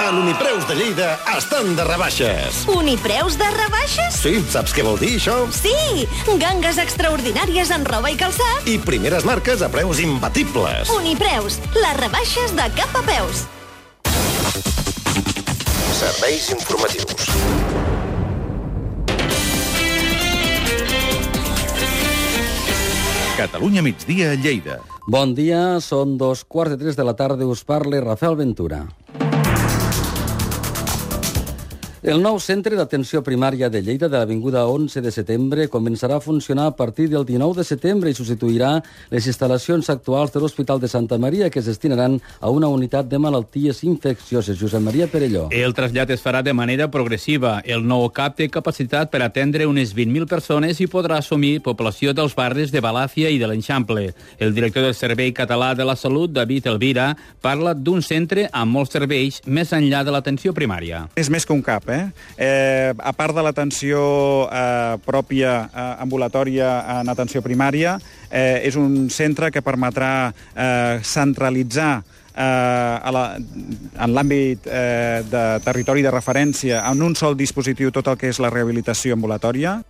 A l'Unipreus de Lleida estan de rebaixes. Unipreus de rebaixes? Sí, saps què vol dir, això? Sí! Gangues extraordinàries en roba i calçat. I primeres marques a preus imbatibles. Unipreus, les rebaixes de cap a peus. Serveis informatius. Catalunya migdia, Lleida. Bon dia, són 2:15 de la tarda, us parla Rafael Ventura. El nou centre d'atenció primària de Lleida de l'Avinguda 11 de setembre començarà a funcionar a partir del 19 de setembre i substituirà les instal·lacions actuals de l'Hospital de Santa Maria, que es destinaran a una unitat de malalties infeccioses. Josep Maria Perelló. El trasllat es farà de manera progressiva. El nou CAP té capacitat per atendre unes 20.000 persones i podrà assumir població dels barris de Balàfia i de l'Eixample. El director del Servei Català de la Salut, David Elvira, parla d'un centre amb molts serveis més enllà de l'atenció primària. És més que un CAP, a part de l'atenció pròpia ambulatòria en atenció primària, és un centre que permetrà centralitzar en l'àmbit de territori de referència en un sol dispositiu tot el que és la rehabilitació ambulatòria.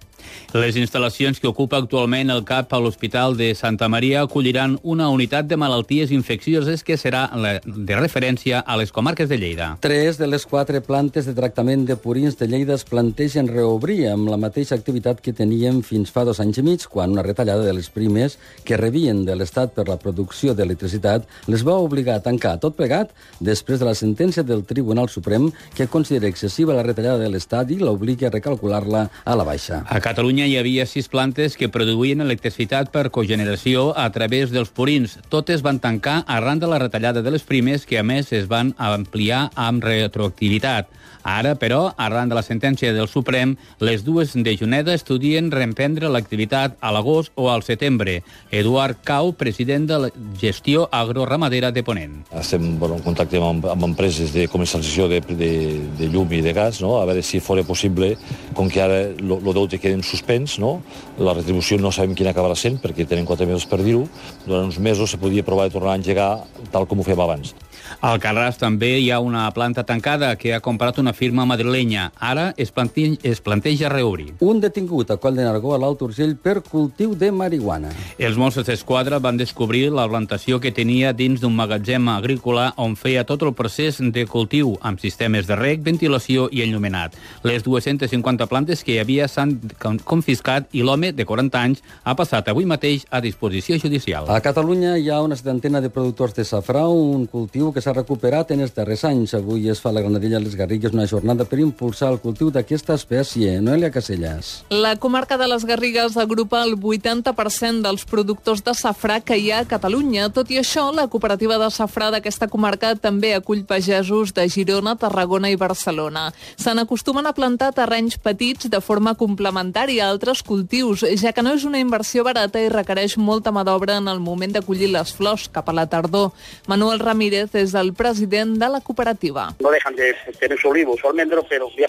Les instal·lacions que ocupa actualment el CAP a l'Hospital de Santa Maria acolliran una unitat de malalties infeccioses que serà de referència a les comarques de Lleida. 3 de les 4 plantes de tractament de purins de Lleida es plantegen reobrir amb la mateixa activitat que teníem fins fa 2 anys i mig, quan una retallada de les primes que rebien de l'Estat per la producció d'electricitat les va obligar a tancar. Tot plegat després de la sentència del Tribunal Suprem que considera excessiva la retallada de l'Estat i l'obliga a recalcular-la a la baixa. A Catalunya hi havia 6 plantes que produïen electricitat per cogeneració a través dels purins. Totes van tancar arran de la retallada de les primes, que a més es van ampliar amb retroactivitat. Ara, però, arran de la sentència del Suprem, les dues de Juneda estudien reemprendre l'activitat a l'agost o al setembre. Eduard Cau, president de la gestió agroramadera de Ponent. Estem en contacte amb empreses de comercialització de llum i de gas, no? A veure si fos possible, com que ara el deute queda en suspens, no? La retribució no sabem quina acabarà sent, perquè tenen 4 mesos per dir-ho. Durant uns mesos se podia provar de tornar a engegar tal com ho fèiem abans. Al Carràs també hi ha una planta tancada que ha comprat una firma madrilenya. Ara es planteja reobrir. Un detingut a Coll de Nargó, a l'Alt Urgell, per cultiu de marihuana. Els Mossos d'Esquadra van descobrir la plantació que tenia dins d'un magatzem agrícola on feia tot el procés de cultiu, amb sistemes de reg, ventilació i enllumenat. Les 250 plantes que hi havia s'han confiscat i l'home, de 40 anys, ha passat avui mateix a disposició judicial. A Catalunya hi ha una 70 de productors de safrà, un cultiu que s'ha recuperat en els darrers anys. Avui es fa a la Granadella les Garrigues una jornada per impulsar el cultiu d'aquesta espècie. Noelia Casellas. La comarca de les Garrigues agrupa el 80% dels productors de safrà que hi ha a Catalunya. Tot i això, la cooperativa de safrà d'aquesta comarca també acull pagesos de Girona, Tarragona i Barcelona. Se n'acostumen a plantar terrenys petits de forma complementària a altres cultius, ja que no és una inversió barata i requereix molta mà d'obra en el moment de collir les flors cap a la tardor. Manuel Ramírez és el president de la cooperativa. No dejan de tener su olivo, su almendro, pero voy a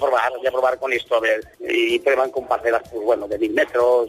probar con esto, a ver, y prueban con parcelas, pues bueno, de 1.000 metros,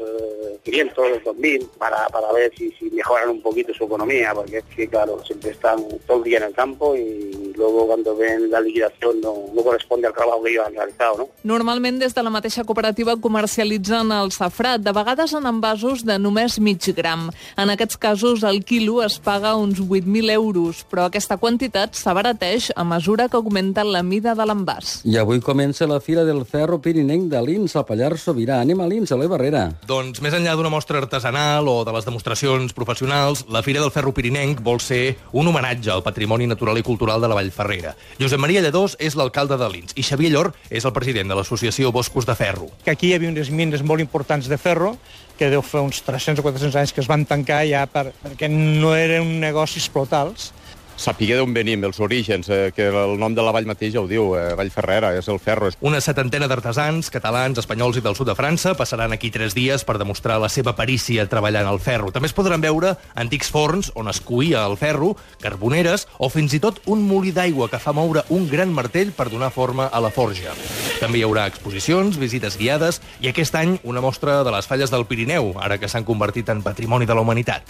500, 2.000, para ver si mejoran un poquito su economía, porque es que, claro, siempre están todo el día en el campo y luego cuando ven la liquidación no corresponde al trabajo que ellos han realizado, ¿no? Normalment des de la mateixa cooperativa comercialitzen el safrà, de vegades en envasos de només mig gram. En aquests casos el quilo es paga uns 8.000 euros, però aquesta quantitat s'abarateix a mesura que augmenta la mida de l'envàs. I avui comença la Fira del Ferro Pirinenc de Lins, al Pallars Sobirà. Anem a Lins, Eloi Barrera. Doncs més enllà d'una mostra artesanal o de les demostracions professionals, la Fira del Ferro Pirinenc vol ser un homenatge al patrimoni natural i cultural de la Vallferrera. Josep Maria Lledós és l'alcalde de Lins i Xavier Llor és el president de l'associació Boscos de Ferro. Aquí hi havia unes mines molt importants de ferro que deu fer uns 300 o 400 anys que es van tancar ja perquè no eren negocis flotals. Sapiguer d'on venim, els orígens, que el nom de la vall mateix ja ho diu, Vallferrera, és el ferro. Una 70 d'artesans, catalans, espanyols i del sud de França passaran aquí 3 dies per demostrar la seva perícia treballant al ferro. També es podran veure antics forns on es cuïa el ferro, carboneres o fins i tot un molí d'aigua que fa moure un gran martell per donar forma a la forja. També hi haurà exposicions, visites guiades i aquest any una mostra de les falles del Pirineu, ara que s'han convertit en patrimoni de la humanitat.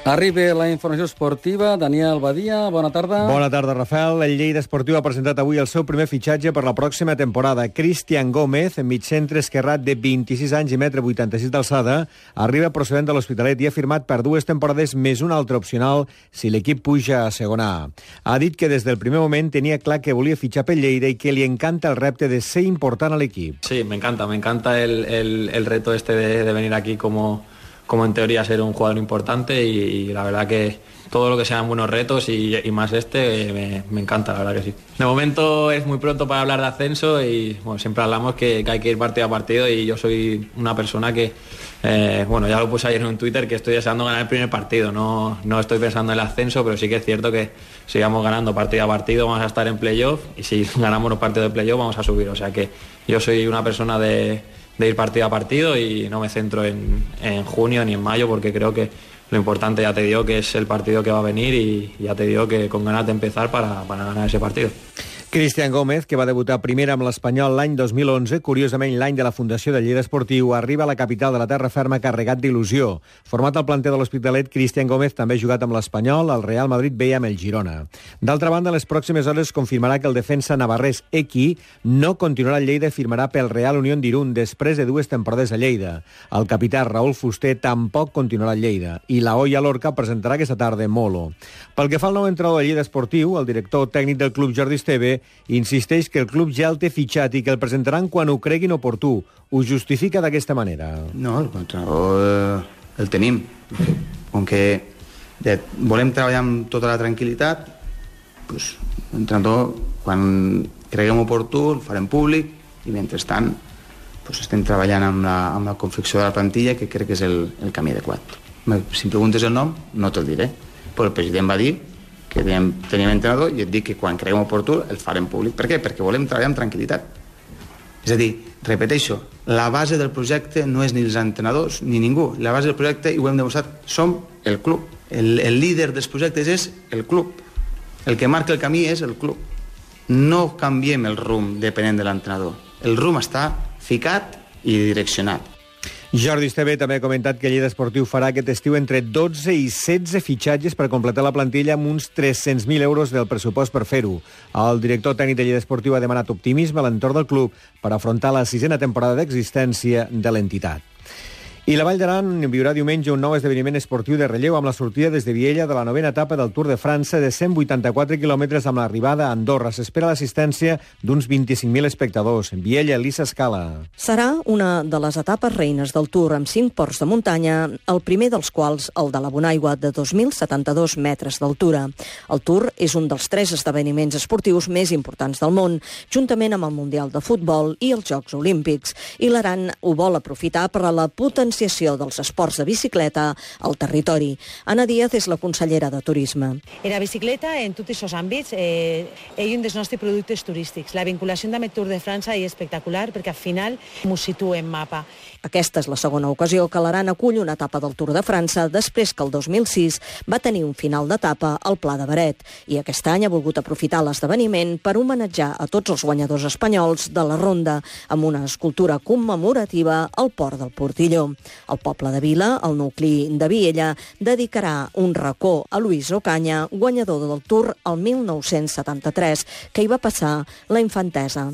Arriba la informació esportiva. Daniel Badia, bona tarda. Bona tarda, Rafael. El Lleida Esportiu ha presentat avui el seu primer fitxatge per la pròxima temporada. Cristian Gómez, migcentre esquerrat de 26 anys i 1,86 m d'alçada, arriba procedent de l'Hospitalet i ha firmat per 2 temporades més una altra opcional si l'equip puja a segona A. Ha dit que des del primer moment tenia clar que volia fitxar pel Lleida i que li encanta el repte de ser important a l'equip. Sí, me encanta el reto de venir aquí como en teoría ser un jugador importante y la verdad que todo lo que sean buenos retos y más me encanta, la verdad que sí. De momento es muy pronto para hablar de ascenso y bueno, siempre hablamos que hay que ir partido a partido y yo soy una persona que, ya lo puse ayer en un Twitter, que estoy deseando ganar el primer partido, no estoy pensando en el ascenso, pero sí que es cierto que sigamos ganando partido a partido, vamos a estar en playoff y si ganamos los partidos de playoff vamos a subir, o sea que yo soy una persona de ir partido a partido y no me centro en junio ni en mayo porque creo que lo importante, ya te digo, que es el partido que va a venir y ya te digo que con ganas de empezar para ganar ese partido. Cristian Gómez, que va debutar primer amb l'Espanyol l'any 2011, curiosament l'any de la fundació del Lleida Esportiu, arriba a la capital de la terra ferma carregat d'il·lusió. Format al planter de l'Hospitalet, Cristian Gómez també ha jugat amb l'Espanyol, el Real Madrid B i amb el Girona. D'altra banda, en les pròximes hores confirmarà que el defensa navarrès Equi no continuarà al Lleida i firmarà pel Real Unión d'Irún després de 2 temporades a Lleida. El capità Raúl Fuster tampoc continuarà al Lleida i la Oia Lorca presentarà aquesta tarda Molo. Pel que fa al nou entrenador del Lleida Esportiu, el director tècnic del club Jordi Esteve insisteix que el club ja el té fitxat i que el presentaran quan ho creguin oportú. Ho justifica d'aquesta manera. No, el entrenador el tenim. Com que volem treballar amb tota la tranquil·litat, doncs, l'entrenador, quan creguem oportú, el farem públic i mentrestant doncs, estem treballant amb la confecció de la plantilla, que crec que és el camí adequat. Si em preguntes el nom, no te'l diré, però el president va dir que teníem entrenador i et dic que quan creguem oportú el farem públic. Per què? Perquè volem treballar amb tranquil·litat. És a dir, repeteixo, la base del projecte no és ni els entrenadors ni ningú. La base del projecte, i ho hem demostrat, som el club. El líder dels projectes és el club. El que marca el camí és el club. No canviem el rumb depenent de l'entrenador. El rumb està ficat i direccionat. Jordi Esteve també ha comentat que Lleida Esportiu farà aquest estiu entre 12 i 16 fitxatges per completar la plantilla amb uns 300.000 euros del pressupost per fer-ho. El director tècnic de Lleida Esportiu ha demanat optimisme a l'entorn del club per afrontar la 6a temporada d'existència de l'entitat. I la Vall d'Aran viurà diumenge un nou esdeveniment esportiu de relleu amb la sortida des de Viella de la 9a etapa del Tour de França de 184 quilòmetres amb l'arribada a Andorra. S'espera l'assistència d'uns 25.000 espectadors. Viella, Elisa Escala. Serà una de les etapes reines del Tour amb 5 ports de muntanya, el primer dels quals el de la Bonaigua, de 2.072 metres d'altura. El Tour és un dels 3 esdeveniments esportius més importants del món, juntament amb el Mundial de Futbol i els Jocs Olímpics. I l'Aran ho vol aprofitar per a la potenciació dels esports de bicicleta al territori. Anna Díaz és la consellera de Turisme. La bicicleta, en tots aquests àmbits, és un dels nostres productes turístics. La vinculació amb el Tour de França és espectacular perquè al final m'ho situo en mapa. Aquesta és la segona ocasió que l'Aran acull una etapa del Tour de França després que el 2006 va tenir un final d'etapa al Pla de Beret i aquest any ha volgut aprofitar l'esdeveniment per homenatjar a tots els guanyadors espanyols de la ronda amb una escultura commemorativa al port del Portilló. El poble de Vila, el nucli de Viella, dedicarà un racó a Luis Ocaña, guanyador del Tour el 1973, que hi va passar la infantesa.